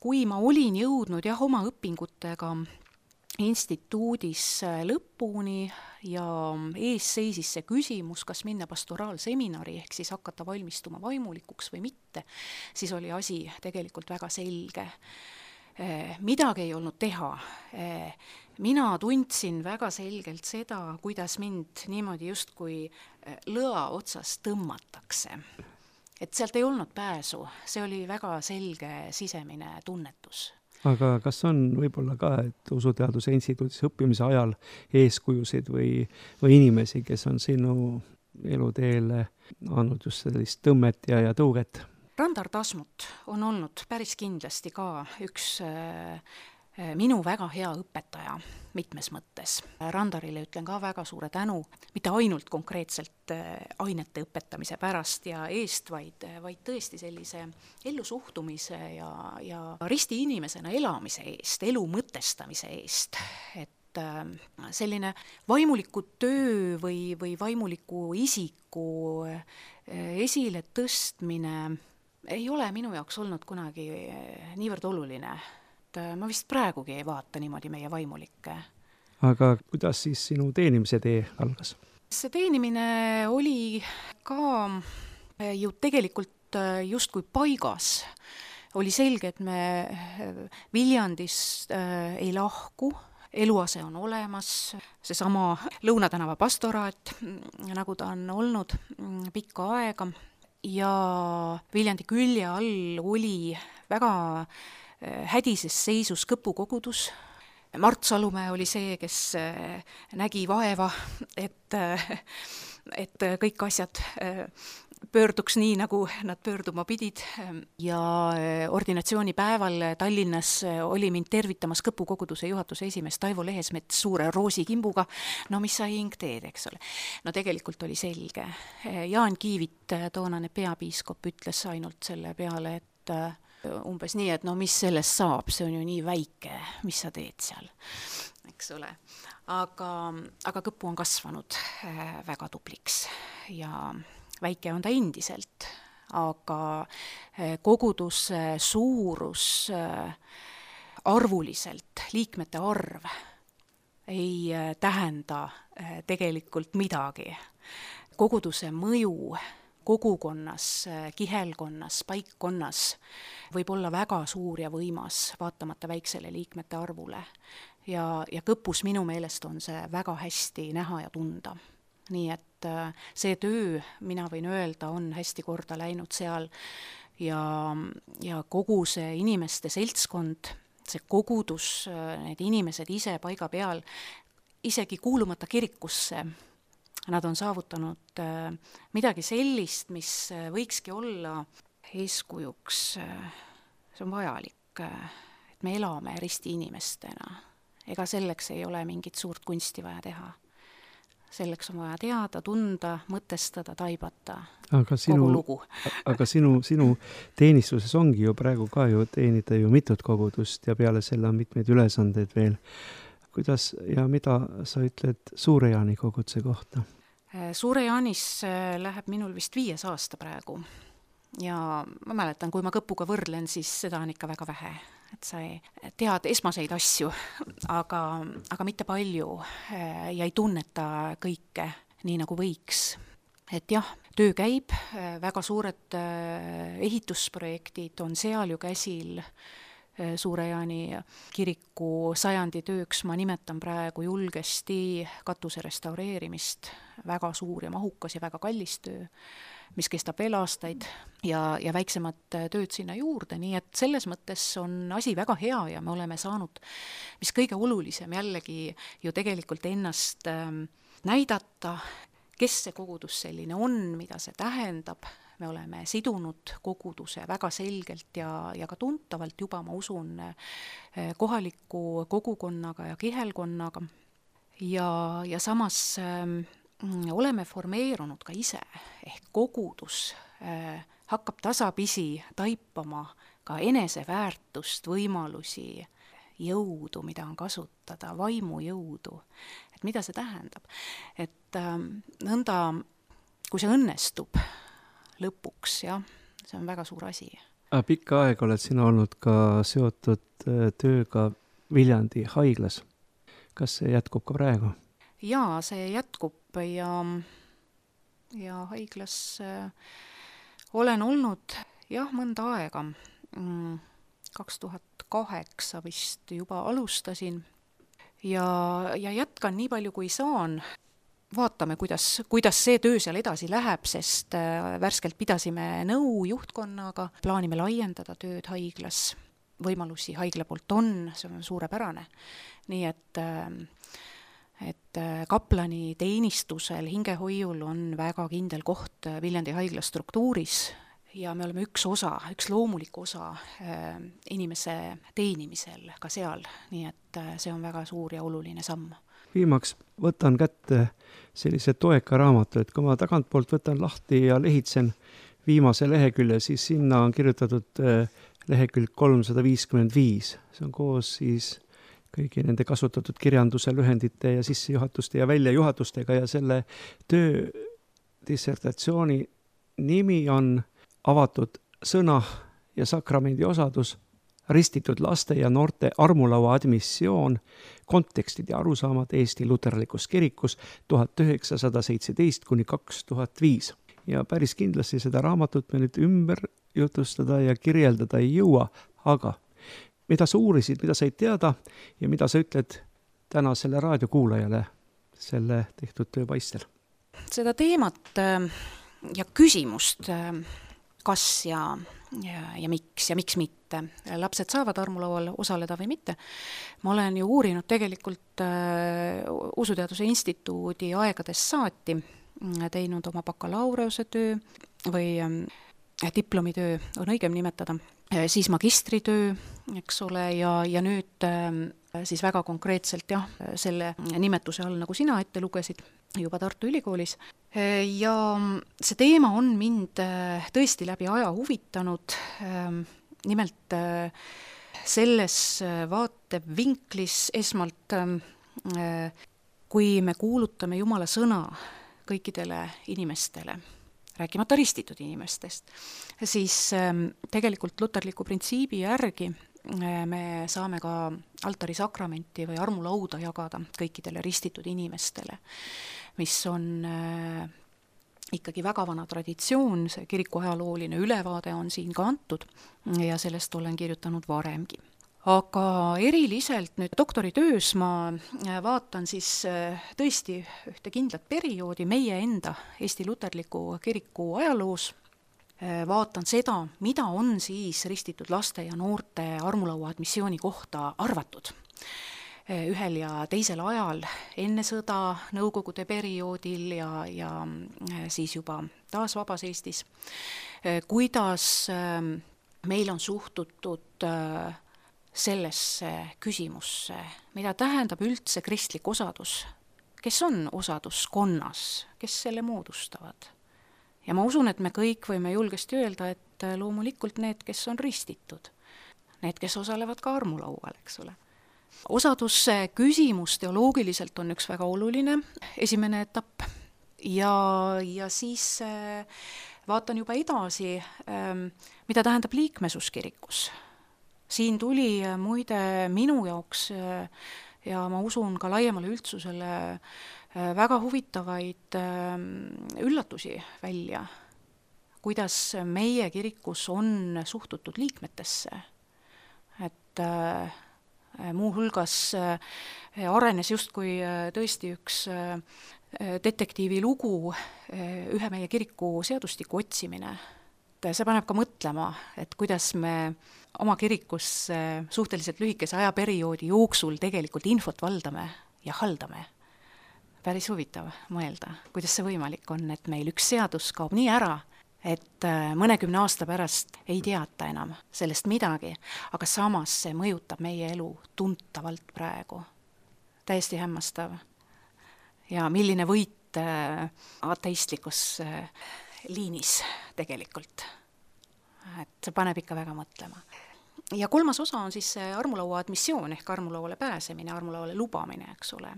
kui ma olin jõudnud jah, oma õpingutega instituudis lõpuni ja ees seisis see küsimus, kas minna pastoraalseminari ehk siis hakata valmistuma vaimulikuks või mitte, siis oli asi tegelikult väga selge. Midagi ei olnud teha. Mina tundsin väga selgelt seda, kuidas mind niimoodi justkui lõa otsas tõmmatakse. Et sealt ei olnud pääsu, see oli väga selge sisemine tunnetus.
Aga kas on võib-olla ka, et Usuteaduse Instituudis õppimise ajal eeskujusid või, või inimesi, kes on sinu eluteele andnud just sellist tõmmet ja, ja tõuget?
Randar Tasmut on olnud päris kindlasti ka üks äh, minu väga hea õpetaja mitmes mõttes. Randarile ütlen ka väga suure tänu, mitte ainult konkreetselt ainete õpetamise pärast ja eest, vaid, vaid tõesti sellise ellusuhtumise ja, ja risti inimesena elamise eest, elu mõtestamise eest. Et selline vaimuliku töö või, või vaimuliku isiku esile tõstmine ei ole minu jaoks olnud kunagi niivõrd oluline. Ma vist praegugi ei vaata niimoodi meie vaimulikke.
Aga kuidas siis sinu teenimise tee algas?
See teenimine oli ka ju tegelikult justkui paigas. Oli selge, et me Viljandist ei lahku, eluase on olemas, seesama Lõunatänava pastoraat, nagu ta on olnud pikka aega ja Viljandi külje all oli väga hädises seisus Kõpu kogudus. Mart Salumäe oli see, kes nägi vaeva, et, et kõik asjad pöörduks nii, nagu nad pöörduma pidid. Ja ordinatsioonipäeval Tallinnas oli mind tervitamas Kõpu koguduse juhatuse esimees Taivo Lehesmets suure roosikimbuga. No mis sa hing teed, eks ole? No tegelikult oli selge. Jaan Kiivit, toonane peapiiskop, ütles ainult selle peale, et umbes nii, et no mis sellest saab, see on ju nii väike, mis sa teed seal, eks ole. Aga, aga Kõpu on kasvanud väga tubliks ja, väike on ta endiselt, aga koguduse suurus arvuliselt, liikmete arv ei tähenda tegelikult midagi. Koguduse mõju kogukonnas, kihelkonnas, paikkonnas võib olla väga suur ja võimas, vaatamata väiksele liikmete arvule. Ja, ja Kõpus minu meelest on see väga hästi näha ja tunda. Nii et see töö, mina võin öelda, on hästi korda läinud seal ja, ja kogu see inimeste seltskond, see kogudus, need inimesed ise paiga peal, isegi kuulumata kirikusse, nad on saavutanud midagi sellist, mis võikski olla eeskujuks. See on vajalik, et me elame risti inimestena. Ega selleks ei ole mingit suurt kunsti vaja teha. Selleks on vaja teada, tunda, mõtestada, taibata
aga sinu,
kogu lugu.
aga sinu, sinu teenistuses ongi ju praegu ka ju teenida ju mitut kogudust ja peale selle on mitmeid ülesandeid veel. Kuidas ja mida sa ütled Suure-Jaani koguduse kohta?
Suure-Jaanis läheb minul vist viies aasta praegu. Ja ma mäletan, kui ma Kõpuga võrdlen, siis seda on ikka väga vähe. Et sa ei tead esmaseid asju, aga, aga mitte palju ja ei tunneta kõike nii nagu võiks. Et jah, töö käib, väga suured ehitusprojektid on seal ju käsil. Suure-Jaani kiriku sajandi tööks ma nimetan praegu julgesti katuse restaureerimist. Väga suur ja mahukas ja väga kallis töö, mis kestab veel aastaid ja, ja väiksemad tööd sinna juurde. Nii et selles mõttes on asi väga hea ja me oleme saanud, mis kõige olulisem jällegi ju tegelikult ennast näidata, kes see kogudus selline on, mida see tähendab. Me oleme sidunud koguduse väga selgelt ja, ja ka tuntavalt juba, ma usun, kohaliku kogukonnaga ja kihelkonnaga. Ja, ja samas äh, oleme formeerunud ka ise, ehk kogudus äh, hakkab tasapisi taipama ka eneseväärtust, võimalusi, jõudu, mida on kasutada, vaimujõudu. Et mida see tähendab? Et äh, nõnda, kui see õnnestub, lõpuks, jah, see on väga suur asi.
Pikka aega oled sina olnud ka seotud tööga Viljandi haiglas. Kas see jätkub ka praegu?
Jaa, see jätkub ja, ja haiglas äh, olen olnud jah, mõnda aega. kaks tuhat kaheksa vist juba alustasin ja, ja jätkan nii palju, kui saan. Vaatame, kuidas, kuidas see töö seal edasi läheb, sest värskelt pidasime nõu juhtkonnaga, plaanime laiendada tööd haiglas. Võimalusi haigla poolt on, see on suurepärane. Nii et, et kaplani teenistusel, hingehoiul on väga kindel koht Viljandi haigla struktuuris ja me oleme üks osa, üks loomulik osa inimese teenimisel ka seal. Nii et see on väga suur ja oluline samm.
Viimaks võtan kätte sellise toeka raamatu, et kui ma tagantpoolt võtan lahti ja lehitsen viimase lehekülje, siis sinna on kirjutatud lehekülg kolmsada viiskümmend viis. See on koos siis kõigi nende kasutatud kirjanduse lühendite ja sissejuhatuste ja väljajuhatustega ja selle töö dissertatsiooni nimi on avatud sõna ja sakramendi osadus, ristitud laste ja noorte armulaua admissioon, kontekstid ja arusaamad Eesti luterlikus kirikus tuhat üheksasada seitseteist kuni kaks tuhat viis. Ja päris kindlasti seda raamatut me nüüd ümber jutustada ja kirjeldada ei jõua, aga mida sa uurisid, mida said teada ja mida sa ütled tänasele raadiokuulajale selle tehtud töö paistel?
Seda teemat ja küsimust, kas ja Ja, ja miks ja miks mitte. Lapsed saavad armulaual osaleda või mitte. Ma olen ju uurinud tegelikult äh, Usuteaduse Instituudi aegadest saati, teinud oma bakalaureuse töö või äh, diplomitöö on õigem nimetada, äh, siis magistritöö, eks ole, ja, ja nüüd äh, siis väga konkreetselt jah, selle nimetuse all, nagu sina ette lugesid, juba Tartu Ülikoolis. Ja see teema on mind tõesti läbi aja huvitanud, nimelt selles vaatevinklis esmalt, kui me kuulutame Jumala sõna kõikidele inimestele rääkimata ristitud inimestest, siis tegelikult luterliku printsiibi järgi me saame ka altarisakramenti või armulauda jagada kõikidele ristitud inimestele, mis on ikkagi väga vana traditsioon, see kiriku ajalooline ülevaade on siin ka antud ja sellest olen kirjutanud varemgi. Aga eriliselt nüüd doktoritöös ma vaatan siis tõesti ühte kindlat perioodi meie enda Eesti luterliku kiriku ajaloos, vaatan seda, mida on siis ristitud laste ja noorte armulaua admissiooni kohta arvatud ühel ja teisel ajal, enne sõda, Nõukogude perioodil ja, ja siis juba taas vabas Eestis, kuidas meil on suhtutud sellesse küsimusse, mida tähendab üldse kristlik osadus, kes on osaduskonnas, kes selle moodustavad. Ja ma usun, et me kõik võime julgesti öelda, et loomulikult need, kes on ristitud, need, kes osalevad ka armulaual, eks ole. Osaduse küsimus teoloogiliselt on üks väga oluline, esimene etapp, ja, ja siis vaatan juba edasi, mida tähendab liikmesus kirikus. Siin tuli muide minu jaoks ja ma usun ka laiemale üldsusele väga huvitavaid üllatusi välja, kuidas meie kirikus on suhtutud liikmetesse. Et muuhulgas arenes justkui tõesti üks detektiivi lugu, ühe meie kiriku seadustiku otsimine. See paneb ka mõtlema, et kuidas me oma kirikus suhteliselt lühikese ajaperioodi jooksul tegelikult infot valdame ja haldame. Päris huvitav mõelda, kuidas see võimalik on, et meil üks seadus kaob nii ära, et mõnekümne aasta pärast ei teata enam sellest midagi, aga samas see mõjutab meie elu tuntavalt praegu. Täiesti hämmastav. Ja milline võit ateistlikus liinis tegelikult. Et see paneb ikka väga mõtlema. Ja kolmas osa on siis see armulaua admissioon ehk armulauale pääsemine, armulauale lubamine, eks ole.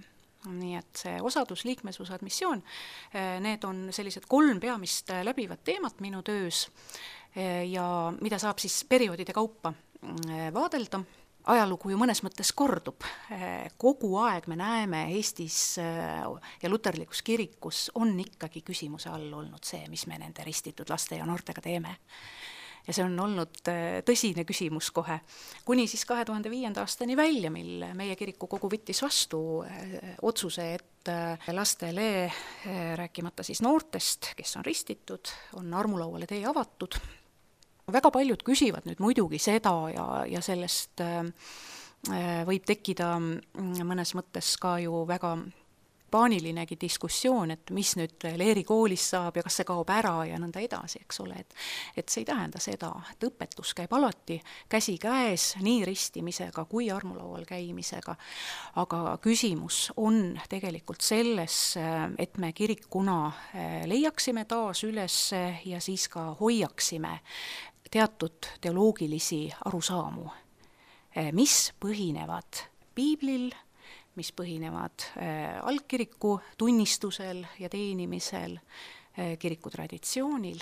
Nii et see osadus, liikmesus, admissioon, need on sellised kolm peamist läbivat teemat minu töös ja mida saab siis perioodide kaupa vaadelda. Ajalugu ju mõnes mõttes kordub. Kogu aeg me näeme Eestis ja luterlikus kirikus on ikkagi küsimuse all olnud see, mis me nende ristitud laste ja noortega teeme. Ja see on olnud tõsine küsimus kohe. Kuni siis kahe tuhande viienda aastani välja, mil meie kiriku kogu võttis vastu otsuse, et lastele, rääkimata siis noortest, kes on ristitud, on armulauale tee avatud. Väga paljud küsivad nüüd muidugi seda ja, ja sellest äh, võib tekkida mõnes mõttes ka ju väga paanilinegi diskussioon, et mis nüüd leerikoolis saab ja kas see kaob ära ja nõnda edasi, eks ole. Et, et see ei tähenda seda, et õpetus käib alati käsi käes nii ristimisega kui armulaual käimisega. Aga küsimus on tegelikult selles, et me kirikuna leiaksime taas üles ja siis ka hoiaksime teatud teoloogilisi arusaamu, mis põhinevad piiblil, mis põhinevad algkiriku tunnistusel ja teenimisel, kiriku traditsioonil.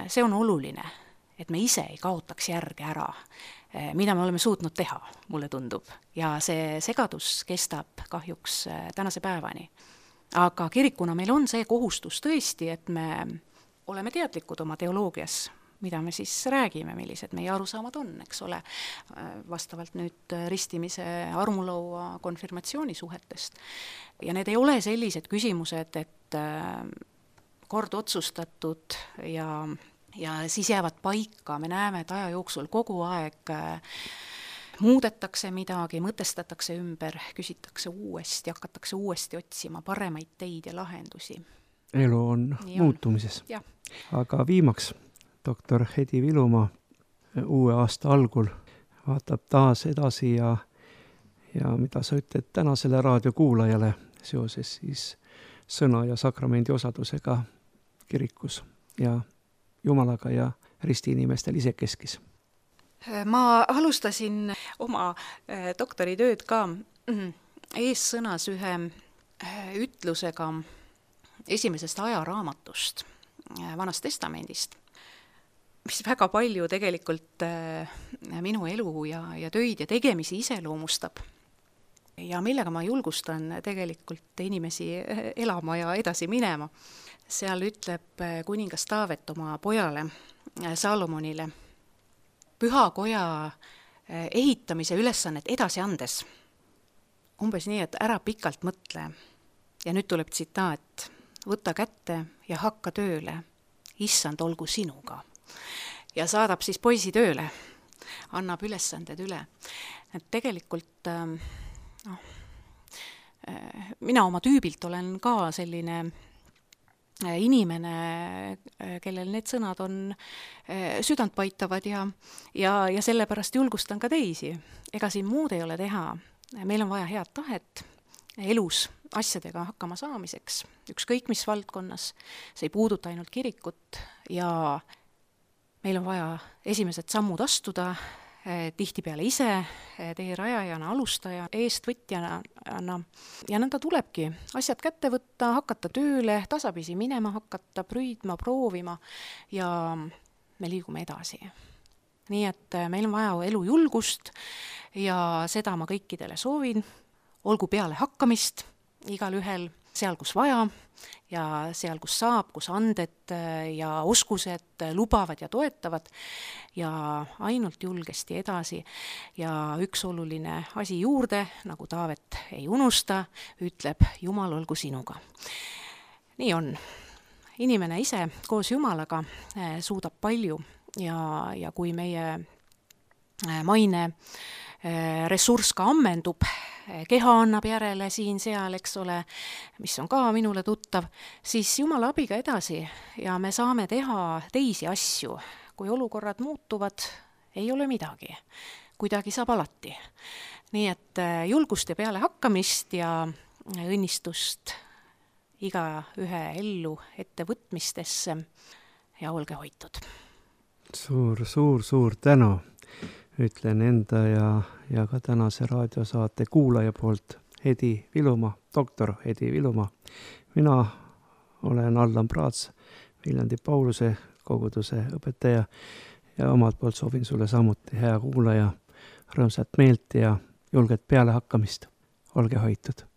See on oluline, et me ise ei kaotaks järge ära, mida me oleme suutnud teha, mulle tundub. Ja see segadus kestab kahjuks tänase päevani. Aga kirikuna meil on see kohustus tõesti, et me oleme teadlikud oma teoloogias, mida me siis räägime, millised meie arusaamad on, eks ole, vastavalt nüüd ristimise armulaua konfirmatsiooni suhetest. Ja need ei ole sellised küsimused, et kord otsustatud ja, ja siis jäävad paika. Me näeme, et aja jooksul kogu aeg muudetakse midagi, mõtestatakse ümber, küsitakse uuesti, hakatakse uuesti otsima paremaid teid ja lahendusi.
Elu on Nii muutumises.
On.
Aga viimaks doktor Hedi Vilumaa uue aasta algul vaatab taas edasi ja, ja mida sa ütled tänasele raadiokuulajale seoses siis sõna ja sakramendi osadusega kirikus ja Jumalaga ja ristiinimestel isekeskis.
Ma alustasin oma doktoritööd ka eessõnas ühe ütlusega esimesest ajaraamatust, Vanast Testamendist, mis väga palju tegelikult minu elu ja, ja töid ja tegemisi iseloomustab. Ja millega ma julgustan tegelikult inimesi elama ja edasi minema. Seal ütleb kuningas Taavet oma pojale Salomonile püha koja ehitamise ülesannet edasi andes. Umbes nii, et ära pikalt mõtle. Ja nüüd tuleb tsitaat. Võta kätte ja hakka tööle. Issand olgu sinuga. Ja saadab siis poisi tööle. Annab ülesanded üle. Et tegelikult no, mina oma tüübilt olen ka selline inimene, kellel need sõnad on südant paitavad ja, ja, ja sellepärast julgustan ka teisi. Ega siin muud ei ole teha. Meil on vaja head tahet elus asjadega hakkama saamiseks, ükskõik mis valdkonnas. See ei puuduta ainult kirikut ja meil on vaja esimesed sammud astuda, tihtipeale ise, tee rajajana, alustaja, eestvõtjana ja nõnda tulebki asjad kätte võtta, hakata tööle, tasapisi minema hakata, prüüdma, proovima ja me liigume edasi. Nii et meil on vaja elu julgust ja seda ma kõikidele soovin, olgu peale hakkamist igal ühel seal, kus vaja ja seal, kus saab, kus anded ja oskused lubavad ja toetavad ja ainult julgesti edasi. Ja üks oluline asi juurde, nagu Taavet ei unusta, ütleb Jumal olgu sinuga. Nii on. Inimene ise koos Jumalaga suudab palju ja, ja kui meie maine ressurss ka ammendub, keha annab järele siin seal, eks ole, mis on ka minule tuttav, siis Jumala abiga edasi ja me saame teha teisi asju. Kui olukorrad muutuvad, ei ole midagi. Kuidagi saab alati. Nii et julgust ja peale hakkamist ja õnnistust iga ühe ellu ettevõtmistesse ja olge hoitud.
Suur, suur, suur tänu. Ütlen enda ja, ja ka tänase raadiosaate kuulaja poolt Hedi Vilumaa, doktor Hedi Vilumaa. Mina olen Allan Praats, Viljandi Pauluse koguduse õpetaja ja omalt poolt soovin sulle samuti hea kuulaja, rõõmsat meelt ja julget peale hakkamist. Olge hoitud.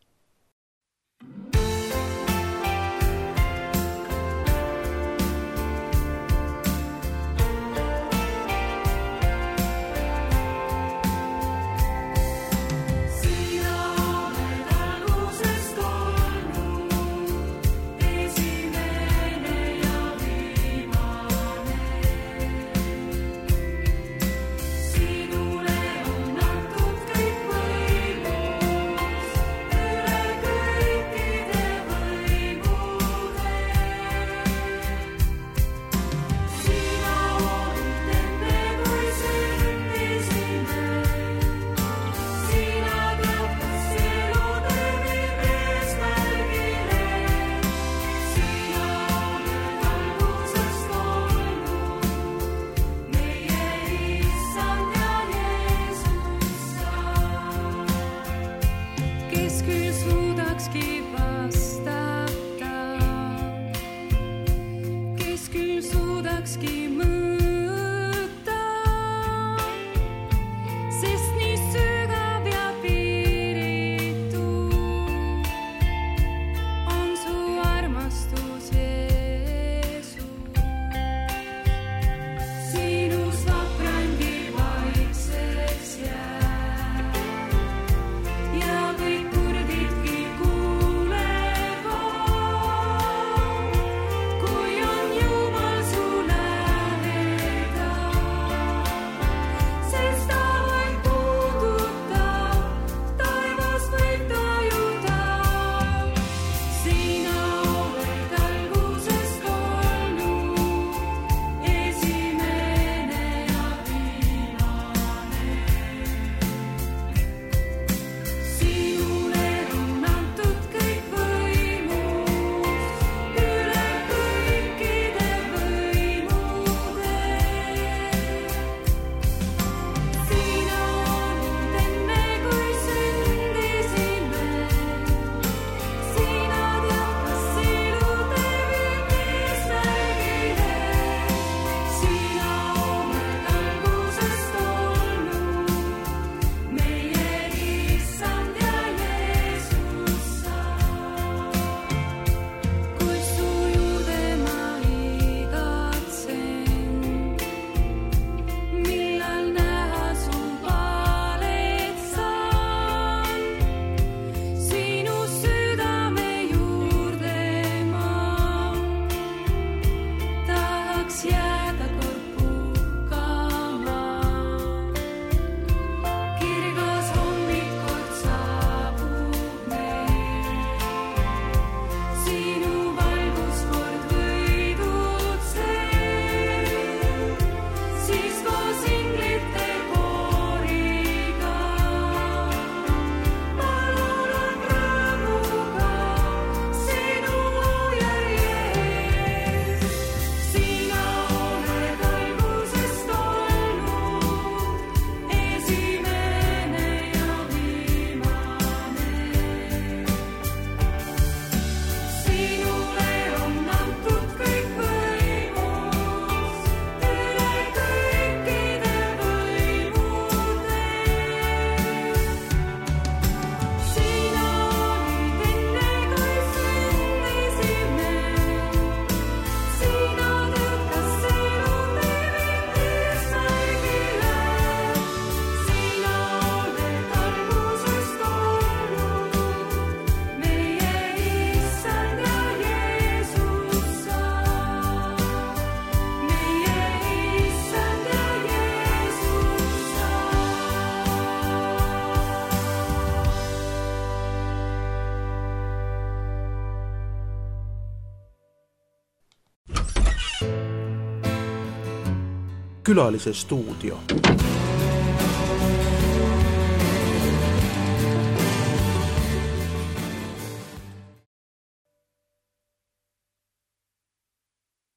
külalise stuudio.